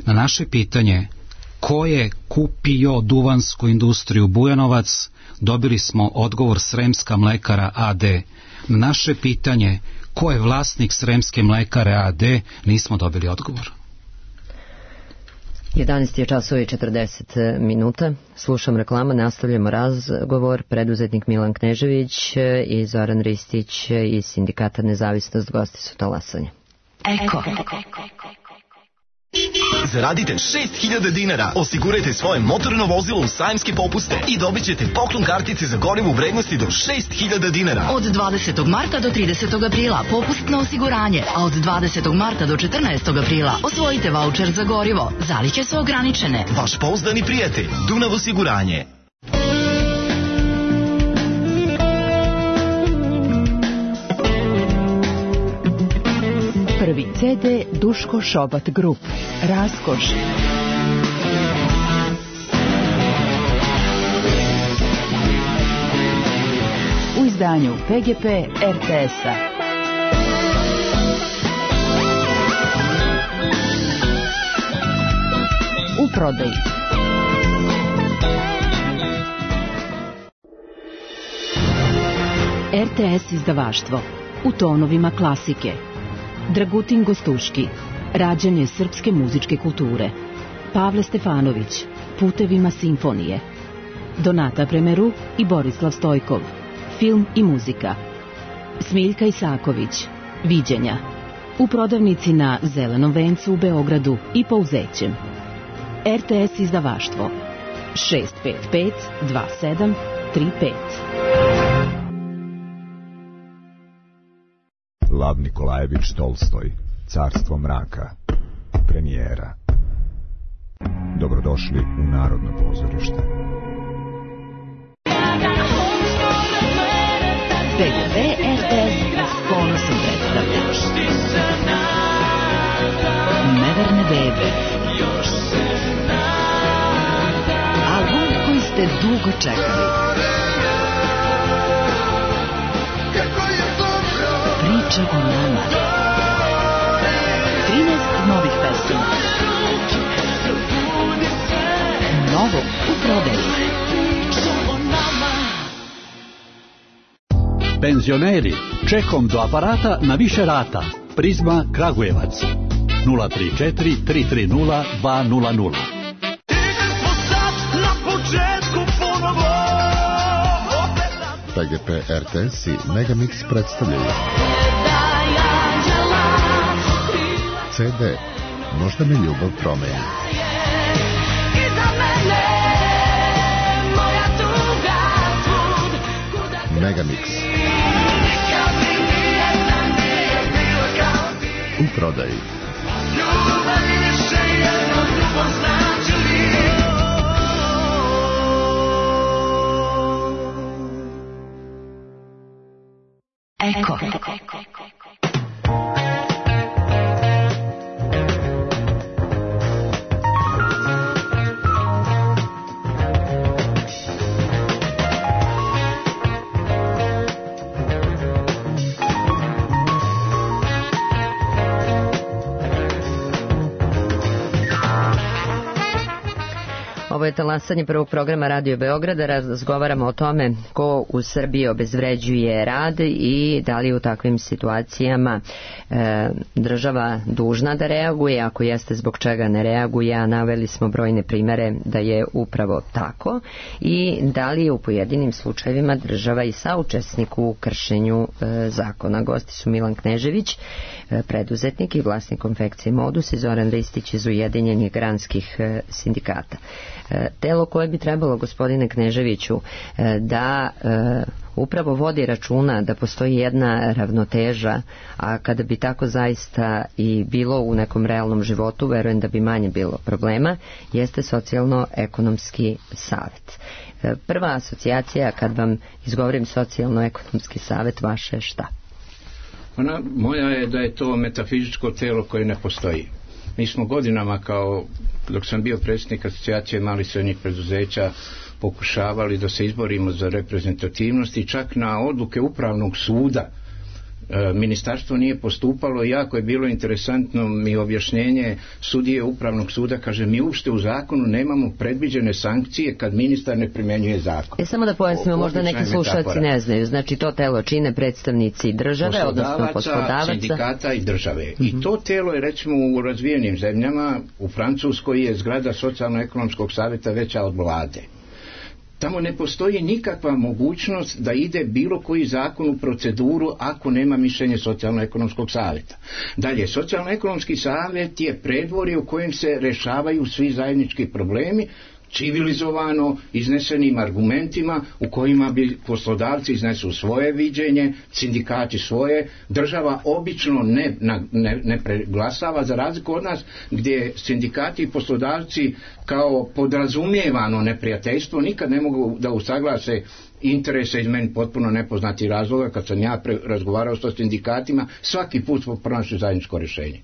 M: Na naše pitanje ko je kupio duvansku industriju Bujanovac, dobili smo odgovor Sremska mlekara AD. Na naše pitanje ko je vlasnik Sremske mlekare AD, nismo dobili odgovor.
B: 11 je časova i 40 minuta. Slušam reklama, nastavljamo razgovor. Preduzetnik Milan Knežević i Zoran Ristić iz Sindikata Nezavisnost gosti su talasanja.
O: Eko. Zaradite 6.000 dinara, osigurajte svoje motorno vozilo u sajamske popuste i dobit ćete poklon kartice za gorivo u vrednosti do 6.000 dinara.
P: Od 20. marta do 30. aprila popustno osiguranje, a od 20. marta do 14. aprila osvojite vaučer za gorivo. Zaliće su ograničene.
O: Vaš pouzdani prijatelj, Dunav osiguranje.
Q: Prvi CD Duško Šobat Grup. Raskoš. U izdanju PGP RTS-a. U prodaji. RTS izdavaštvo. U tonovima klasike. Dragutin Gostuški, rađanje srpske muzičke kulture. Pavle Stefanović, Putevima simfonije. Donata Premeru i Borislav Stojkov, film i muzika. Smiljka Isaković, Viđenja. U prodavnici na Zelenom vencu u Beogradu i Pouzećem. RTS izdavaštvo 655 27 35.
R: Lav Nikolajević Tolstoj, Carstvo mraka, premijera. Dobrodošli u Narodno pozorište.
Q: PGP RTS s ponosom predstavlja Neverne bebe. Album koji ste dugo čekali. Priča o nama. 13 novih pesama. Novo u prodaji.
S: Penzioneri, čekom do aparata na više rata. Prizma Kragujevac 034 330 200.
T: PGP RTS i Megamix predstavljaju CD Možda me ljubav promeni. Megamix u prodaji.
P: Eko.
B: Ovo je talasanje prvog programa Radio Beograda. Razgovaramo o tome ko u Srbiji obezvređuje rad i da li u takvim situacijama država dužna da reaguje, ako jeste zbog čega ne reaguje, a naveli smo brojne primere da je upravo tako, i da li je u pojedinim slučajevima država i saučesnik u kršenju zakona. Gosti su Milan Knežević, preduzetnik i vlasnik konfekcije Modus, i Zoran Ristić iz Ujedinjenih granskih sindikata. Telo koje bi trebalo, gospodine Kneževiću, da upravo vodi računa da postoji jedna ravnoteža, a kada bi tako zaista i bilo u nekom realnom životu, verujem da bi manje bilo problema, jeste socijalno-ekonomski savet. Prva asocijacija, kad vam izgovorim socijalno-ekonomski savet, vaše šta?
D: Moja je da je to metafizičko telo koje ne postoji. Mi smo godinama, kao dok sam bio predsjednik asocijacije malih i srednjih preduzeća, pokušavali da se izborimo za reprezentativnost, i čak na odluke Upravnog suda ministarstvo nije postupalo. Jako je bilo interesantno mi objašnjenje sudije Upravnog suda, kaže, mi uopšte u zakonu nemamo predviđene sankcije kad ministar ne primjenjuje zakon.
B: Samo da pojasnimo, možda neki slušalci ne znaju, znači to telo čine predstavnici države, odnosno poslodavaca,
D: sindikata i države. I to telo je, recimo, u razvijenim zemljama, u Francuskoj je zgrada socijalno-ekonomskog savjeta veća od vlade. Tamo ne postoji nikakva mogućnost da ide bilo koji zakon u proceduru ako nema mišljenje socijalno-ekonomskog savjeta. Dalje, socijalno-ekonomski savjet je predvorje u kojem se rešavaju svi zajednički problemi, civilizovano, iznesenim argumentima u kojima bi poslodavci iznesu svoje viđenje, sindikati svoje, država obično ne preglasava, za razliku od nas gdje sindikati i poslodavci kao podrazumijevano neprijateljstvo nikad ne mogu da usaglase interese iz meni potpuno nepoznati razloga. Kad sam ja razgovarao sa sindikatima, svaki put smo pronašli zajedničko rješenje.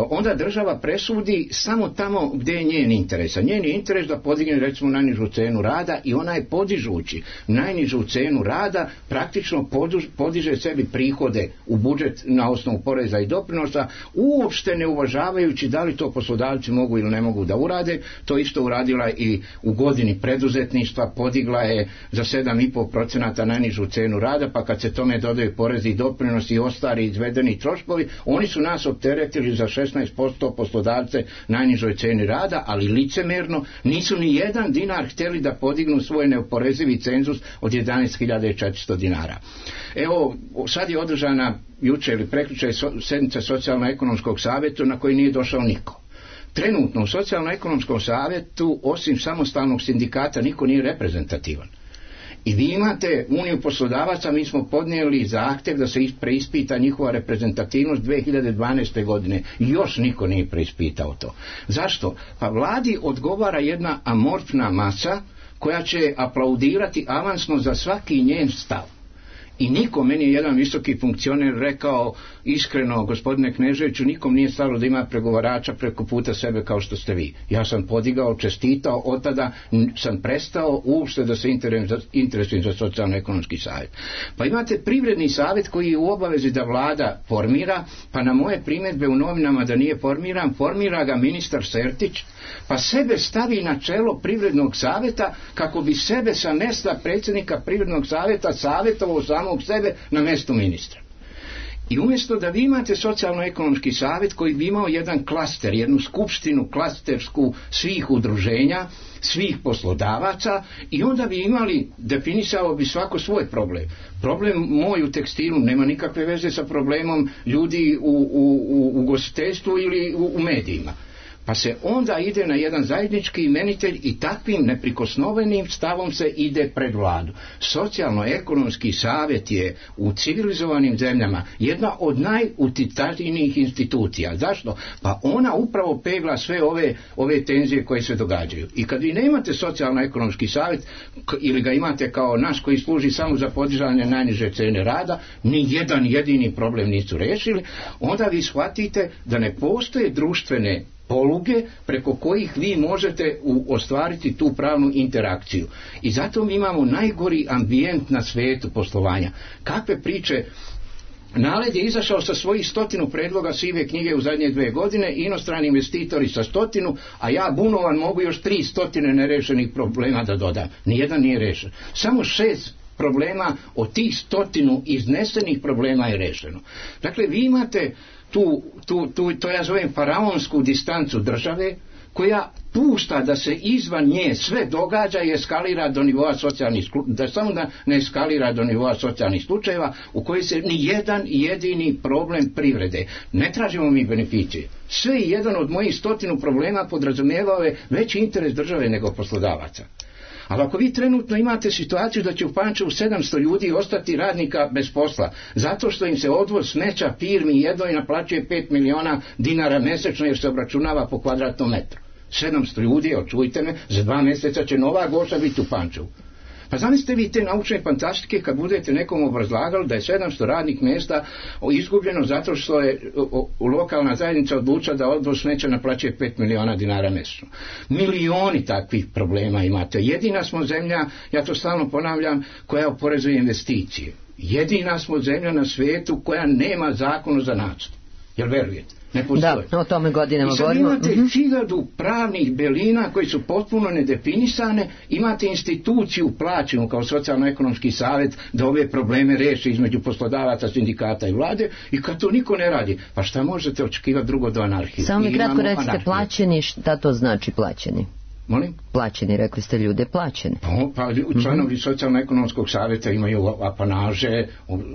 D: Onda država presudi samo tamo gdje je njen interes. A njen je interes da podigne, recimo, najnižu cenu rada, i ona je podižući najnižu cenu rada praktično podiže sebi prihode u budžet na osnovu poreza i doprinosa, uopšte ne uvažavajući da li to poslodavci mogu ili ne mogu da urade. To isto uradila i u godini preduzetništva, podigla je za 7,5% najnižu cenu rada, pa kad se tome dodaju porezi i doprinosi i ostali izvedeni troškovi, oni su nas opteretili za 16% poslodavce najnižoj ceni rada, ali licemerno nisu ni jedan dinar htjeli da podignu svoj neoporezivi cenzus od 11.400 dinara. Evo, sad je održana jučer ili prekjučer sednica socijalno-ekonomskog savjeta na koji nije došao niko. Trenutno u socijalno-ekonomskom savjetu, osim samostalnog sindikata, niko nije reprezentativan. I vi imate Uniju poslodavaca, mi smo podnijeli zahtjev da se preispita njihova reprezentativnost 2012. godine. Još niko nije preispitao to. Zašto? Pa vladi odgovara jedna amorfna masa koja će aplaudirati avansno za svaki njen stav. I nikom, meni je jedan visoki funkcioner rekao iskreno, gospodine Kneževiću, nikom nije stalo da ima pregovarača preko puta sebe kao što ste vi. Ja sam podigao, čestitao, od tada sam prestao uopšte da se interesujem za socijalno-ekonomski savjet. Pa imate privredni savjet koji je u obavezi da vlada formira, pa na moje primjedbe u novinama da nije formiran, formira ga ministar Sertić, pa sebe stavi na čelo privrednog savjeta kako bi sebe sa mjesta predsjednika privrednog savjeta savjetovao samog sebe na mjestu ministra. I umjesto da vi imate socijalno-ekonomski savjet koji bi imao jedan klaster, jednu skupštinu klastersku svih udruženja, svih poslodavaca, i onda bi imali, definisao bi svako svoj problem. Problem moj u tekstilu nema nikakve veze sa problemom ljudi u ugostiteljstvu ili u medijima. Pa se onda ide na jedan zajednički imenitelj i takvim neprikosnovenim stavom se ide pred vladu. Socijalno-ekonomski savjet je u civilizovanim zemljama jedna od najutjecajnijih institucija. Zašto? Pa ona upravo pegla sve ove tenzije koje se događaju. I kad vi nemate socijalno-ekonomski savjet ili ga imate kao naš koji služi samo za podizanje najniže cene rada, ni jedan jedini problem nisu riješili, onda vi shvatite da ne postoje društvene poluge preko kojih vi možete ostvariti tu pravnu interakciju. I zato mi imamo najgori ambijent na svijetu poslovanja. Kakve priče NALED je izašao sa svojih 100 predloga sive knjige u zadnje 2 godine, inostrani investitori sa 100, a ja bunovan mogu još 300 nerešenih problema da dodam. Nijedan nije rešen. Samo 6 problema od tih 100 iznesenih problema je rešeno. Dakle, vi imate to ja zovem faraonsku distancu države, koja pušta da se izvan nje sve događa i eskalira do nivoa socijalnih da samo da ne eskalira do nivoa socijalnih slučajeva u kojoj se ni jedan jedini problem privrede. Ne tražimo mi beneficije. Sve i jedan od mojih 100 problema podrazumijevao je veći interes države nego poslodavaca. Ali ako vi trenutno imate situaciju da će u Pančevu 700 ljudi ostati radnika bez posla, zato što im se odvoz smeća firmi jednoj naplaćuje 5 miliona dinara mesečno jer se obračunava po kvadratnom metru. 700 ljudi, čujte me, za 2 mjeseca će nova Goša biti u Pančevu. Pa zamislite vi te naučne fantastike kad budete nekom obrazlagali da je 700 radnih mjesta izgubljeno zato što je lokalna zajednica odlučila da odvoz smeća naplaćuje 5 miliona dinara mjesečno. Milioni takvih problema imate. Jedina smo zemlja, ja to stalno ponavljam, koja oporezuje investicije. Jedina smo zemlja na svijetu koja nema zakon o zanatstvu. Jel verujete?
B: Da, o tome godinama govorimo.
D: Imate 1000 pravnih belina koji su potpuno nedefinisane, imate instituciju plaćenu kao socijalno-ekonomski savjet da ove probleme reši između poslodavaca, sindikata i vlade, i kad to niko ne radi, pa šta možete očekivati drugo do anarhije?
B: Samo mi kratko recite, plaćeni, šta to znači plaćeni?
D: Molim?
B: Plaćeni, rekli ste ljude plaćeni.
D: Pa članovi socijalno-ekonomskog savjeta imaju apanaže,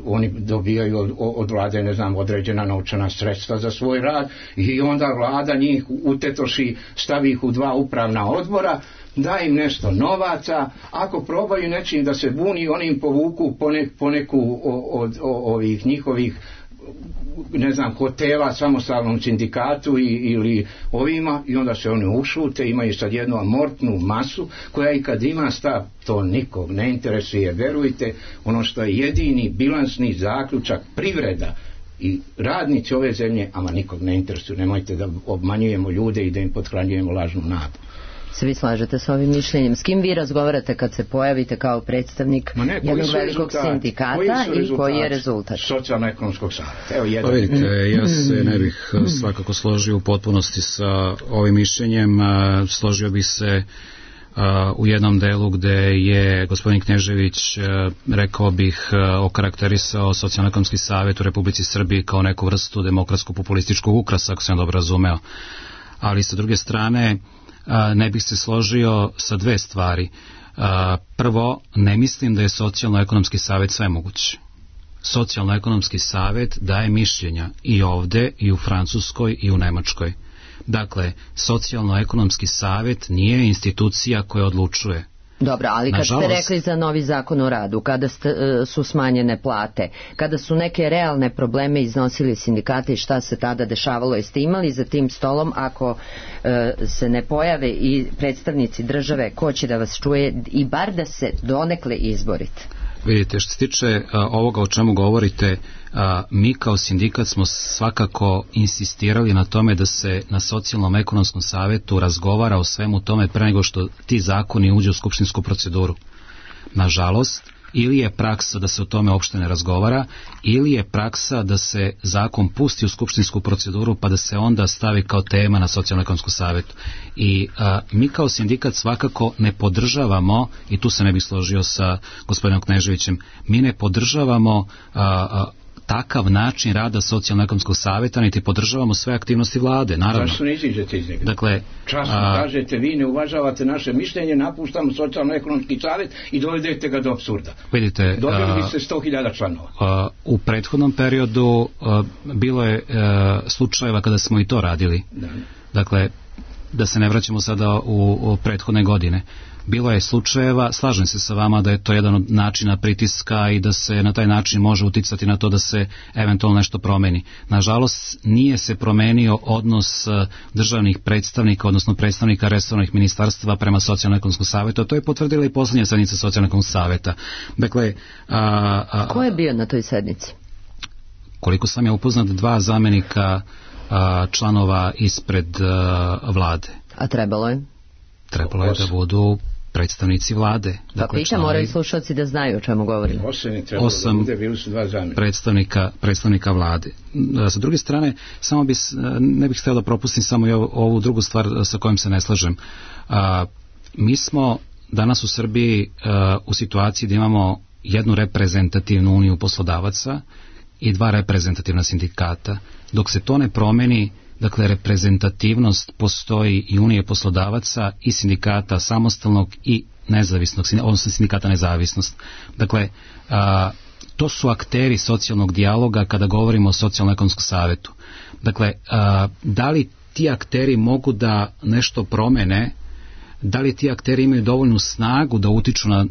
D: oni dobijaju od vlade, ne znam, određena novčana sredstva za svoj rad i onda vlada njih utetoši, stavi ih u 2 upravna odbora, da im nešto novaca, ako probaju nečim da se buni, oni im povuku poneku od ovih njihovih, ne znam, hotela samostalnom sindikatu ili ovima, i onda se oni ušute, imaju sad jednu amortnu masu koja i kad ima stav, to nikog ne interesuje. Verujte, ono što je jedini bilansni zaključak, privreda i radnici ove zemlje, ama nikog ne interesuje. Nemojte da obmanjujemo ljude i da im pothranjujemo lažnu nadu.
B: Se vi slažete s ovim mišljenjem? S kim vi razgovarate kad se pojavite kao predstavnik jednog velikog sindikata i koji je rezultat?
D: Socijalno-ekonomskog savjeta. Evo jedan.
M: Pa vidite, ja se ne bih svakako složio u potpunosti sa ovim mišljenjem. Složio bih se u jednom delu gde je gospodin Knežević, rekao bih, okarakterisao socijalno-ekonomski savjet u Republici Srbiji kao neku vrstu demokratsko-populističkog ukrasa, ako sam dobro razumeo. Ali sa druge strane, ne bih se složio sa 2 stvari. Prvo, ne mislim da je socijalno-ekonomski savjet svemoguć. Socijalno-ekonomski savjet daje mišljenja i ovde, i u Francuskoj, i u Nemačkoj. Dakle, socijalno-ekonomski savjet nije institucija koja odlučuje.
B: Dobro, ali kad ste rekli za novi zakon o radu, kada su smanjene plate, kada su neke realne probleme iznosili sindikati, šta se tada dešavalo? Jeste imali za tim stolom, ako se ne pojave i predstavnici države, ko će da vas čuje i bar da se donekle izborite?
M: Vidite, što se tiče ovoga o čemu govorite, mi kao sindikat smo svakako insistirali na tome da se na socijalnom ekonomskom savjetu razgovara o svemu tome pre nego što ti zakoni uđu u skupštinsku proceduru. Nažalost, ili je praksa da se o tome uopšte ne razgovara, ili je praksa da se zakon pusti u skupštinsku proceduru pa da se onda stavi kao tema na socijalno-ekonomskom savjetu. I mi kao sindikat svakako ne podržavamo, i tu se ne bih složio sa gospodinom Kneževićem, mi ne podržavamo takav način rada socijalno-ekonomskog savjeta, niti podržavamo sve aktivnosti vlade, naravno.
D: Zašto ne iziđete iz njega?
M: Dakle,
D: časno kažete, vi ne uvažavate naše mišljenje, napuštamo socijalno-ekonomski savjet i dovedete ga do apsurda.
M: Vidite,
D: dobili biste 100.000 članova.
M: U prethodnom periodu bilo je slučajeva kada smo i to radili. Da. Dakle, da se ne vraćamo sada u prethodne godine. Bilo je slučajeva, slažem se sa vama da je to jedan od načina pritiska i da se na taj način može uticati na to da se eventualno nešto promeni. Nažalost, nije se promenio odnos državnih predstavnika, odnosno predstavnika resornih ministarstva prema socijalno-ekonomskom savjetu, a to je potvrdila i posljednja sednica socijalno-ekonomskog savjeta. Dakle,
B: ko je bio na toj sednici?
M: Koliko sam ja upoznat, 2 zamjenika članova ispred vlade.
B: A trebalo je?
M: Trebalo je da budu predstavnici vlade.
B: Dakle, pitam, moraju slušalci da znaju o čemu govorimo.
M: 8 predstavnika vlade. Sa druge strane, samo ne bih htio da propustim samo i ovu drugu stvar sa kojom se ne slažem. Mi smo danas u Srbiji u situaciji da imamo jednu reprezentativnu uniju poslodavaca i 2 reprezentativna sindikata. Dok se to ne promeni, dakle, reprezentativnost postoji i unije poslodavaca i sindikata samostalnog i nezavisnog, odnosno sindikata nezavisnost. Dakle, to su akteri socijalnog dijaloga kada govorimo o socijalno-ekonomskom savetu. Dakle, da li ti akteri mogu da nešto promene, da li ti akteri imaju dovoljnu snagu da utiču na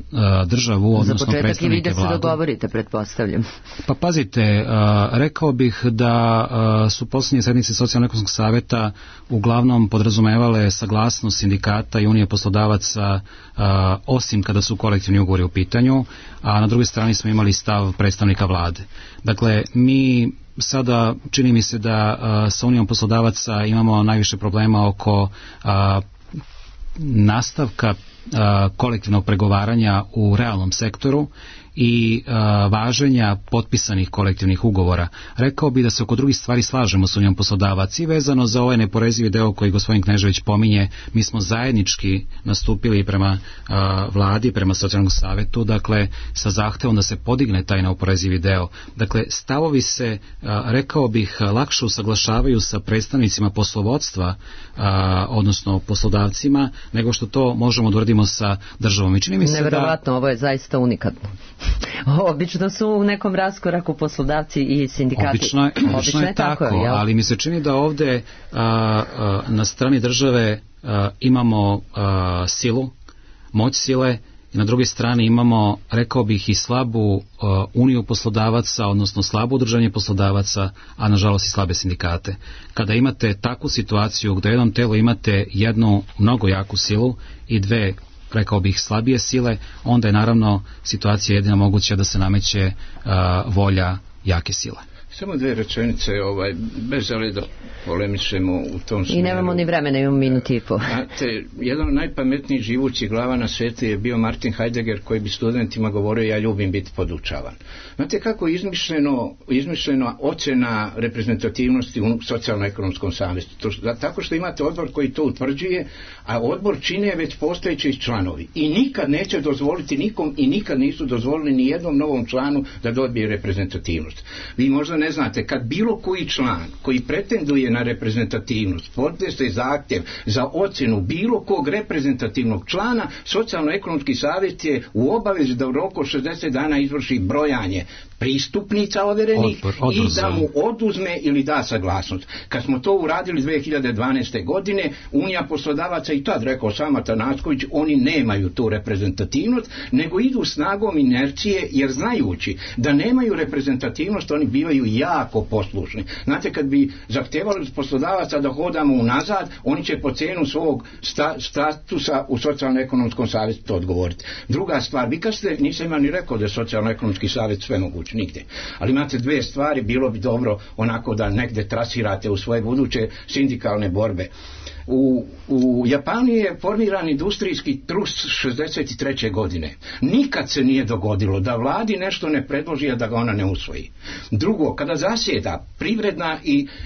M: državu, odnosno predstavnike vlade? Za početak i vi da se
B: dogovorite, pretpostavljam.
M: Pa pazite, rekao bih da su posljednje sednice Socijalno-ekonomskog saveta uglavnom podrazumevale saglasnost sindikata i unije poslodavaca, osim kada su kolektivni ugovori u pitanju, a na drugoj strani smo imali stav predstavnika vlade. Dakle, mi sada čini mi se da sa unijom poslodavaca imamo najviše problema oko nastavka kolektivnog pregovaranja u realnom sektoru i važenja potpisanih kolektivnih ugovora. Rekao bi da se oko drugih stvari slažemo s unijom poslodavaca i vezano za ovaj neporezivi deo koji gospodin Knežević pominje, mi smo zajednički nastupili prema vladi, prema socijalnom savetu, dakle sa zahtevom da se podigne taj neoporezivi deo. Dakle, stavovi se, rekao bih, lakše usaglašavaju sa predstavnicima poslovodstva, odnosno poslodavcima, nego što to možemo da uradimo sa državom. I čini mi se
B: neverovatno, ovo je zaista unikatno. Obično su u nekom raskoraku poslodavci i sindikati.
M: Obično je tako, ali mi se čini da ovde na strani države imamo silu, moć sile, i na drugoj strani imamo, rekao bih, i slabu uniju poslodavaca, odnosno slabo udruženje poslodavaca, a nažalost i slabe sindikate. Kada imate takvu situaciju gdje u jednom telu imate jednu mnogo jaku silu i 2, rekao bih, slabije sile, onda je naravno situacija jedina moguća da se nameće volja jake sile.
D: Samo 2 rečenice, bez želje da polemišemo u tom smjeru.
B: I nemamo ni vremena, imamo minuti i po.
D: Znate, jedan od najpametnijih živućih glava na svijetu je bio Martin Heidegger, koji bi studentima govorio: ja ljubim biti podučavan. Znate kako je izmišljena ocjena reprezentativnosti u socijalno-ekonomskom savetu? Tako što imate odbor koji to utvrđuje, a odbor čine već postojeći članovi. I nikad neće dozvoliti nikom i nikad nisu dozvolili ni jednom novom članu da dobije reprezentativnost. Vi možda ne znate, kad bilo koji član koji pretenduje na reprezentativnost podnese zahtjev za ocjenu bilo kog reprezentativnog člana, socijalno-ekonomski savjet je u obavezi da u roku 60 dana izvrši brojanje pristupnica overenih i da mu oduzme ili da saglasnost. Kad smo to uradili 2012. godine, Unija poslodavaca i tad rekao sama Tanacković, oni nemaju tu reprezentativnost, nego idu snagom inercije, jer znajući da nemaju reprezentativnost, oni bivaju jako poslušni. Znate, kad bi zahtevali od poslodavaca da hodamo unazad, oni će po cijenu svog statusa u socijalno-ekonomskom savjetu to odgovoriti. Druga stvar, vi kad ste, nisam ima ni rekao da je socijalno-ekonomski savjet sve moguće, nigdje. Ali imate 2 stvari, bilo bi dobro onako da negdje trasirate u svoje buduće sindikalne borbe. U Japanu je formiran industrijski trust 63. godine. Nikad se nije dogodilo da vladi nešto ne predloži, a da ga ona ne usvoji. Drugo, kada zasjeda privredna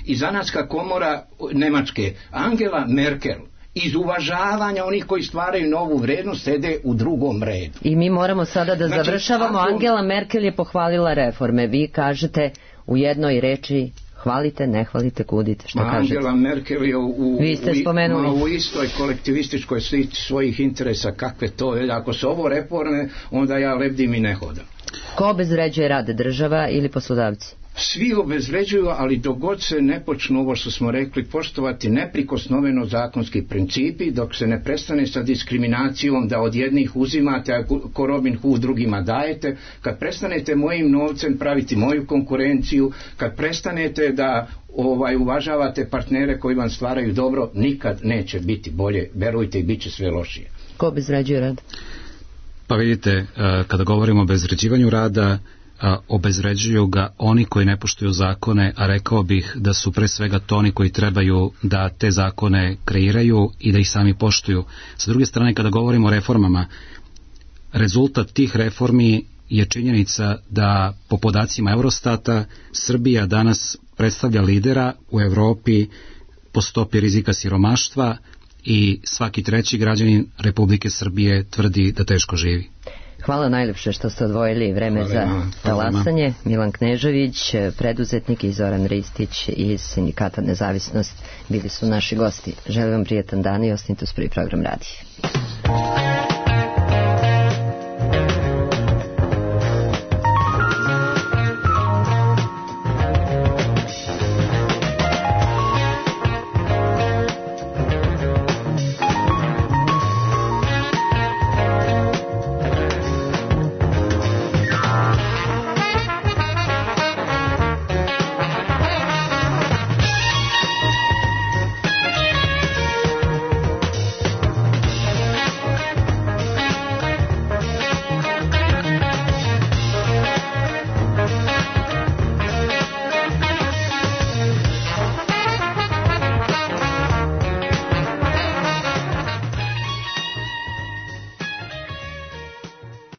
D: i zanatska komora Njemačke, Angela Merkel iz uvažavanja onih koji stvaraju novu vrijednost sede u drugom redu.
B: I mi moramo sada da završavamo. Angela Merkel je pohvalila reforme. Vi kažete u jednoj reči: hvalite, ne hvalite, kudite. Što kažete?
D: Angela Merkel je u istoj kolektivističkoj slici svojih interesa. Kakve to je? Ako se ovo reforme, onda ja lebdim i ne hodam.
B: Ko obezvređuje rad, država ili poslodavci?
D: Svi obezvređuju, ali dok god se ne počnu, ovo što smo rekli, poštovati neprikosnoveno zakonski principi, dok se ne prestane sa diskriminacijom da od jednih uzimate, a ko Robin Hood drugima dajete, kad prestanete mojim novcem praviti moju konkurenciju, kad prestanete da uvažavate partnere koji vam stvaraju dobro, nikad neće biti bolje, verujte, i bit će sve lošije.
B: Ko obezvređuje rad?
M: Pa vidite, kada govorimo o obezvređivanju rada, obezvređuju ga oni koji ne poštuju zakone, a rekao bih da su pre svega to oni koji trebaju da te zakone kreiraju i da ih sami poštuju. Sa druge strane, kada govorimo o reformama, rezultat tih reformi je činjenica da po podacima Eurostata Srbija danas predstavlja lidera u Evropi po stopi rizika siromaštva i svaki treći građanin Republike Srbije tvrdi da teško živi.
B: Hvala najlepše što ste odvojili vreme za talasanje. Milan Knežević, preduzetnik, i Zoran Ristić iz Sindikata Nezavisnost bili su naši gosti. Želim vam prijetan dan i ostanite uz prvi program radija.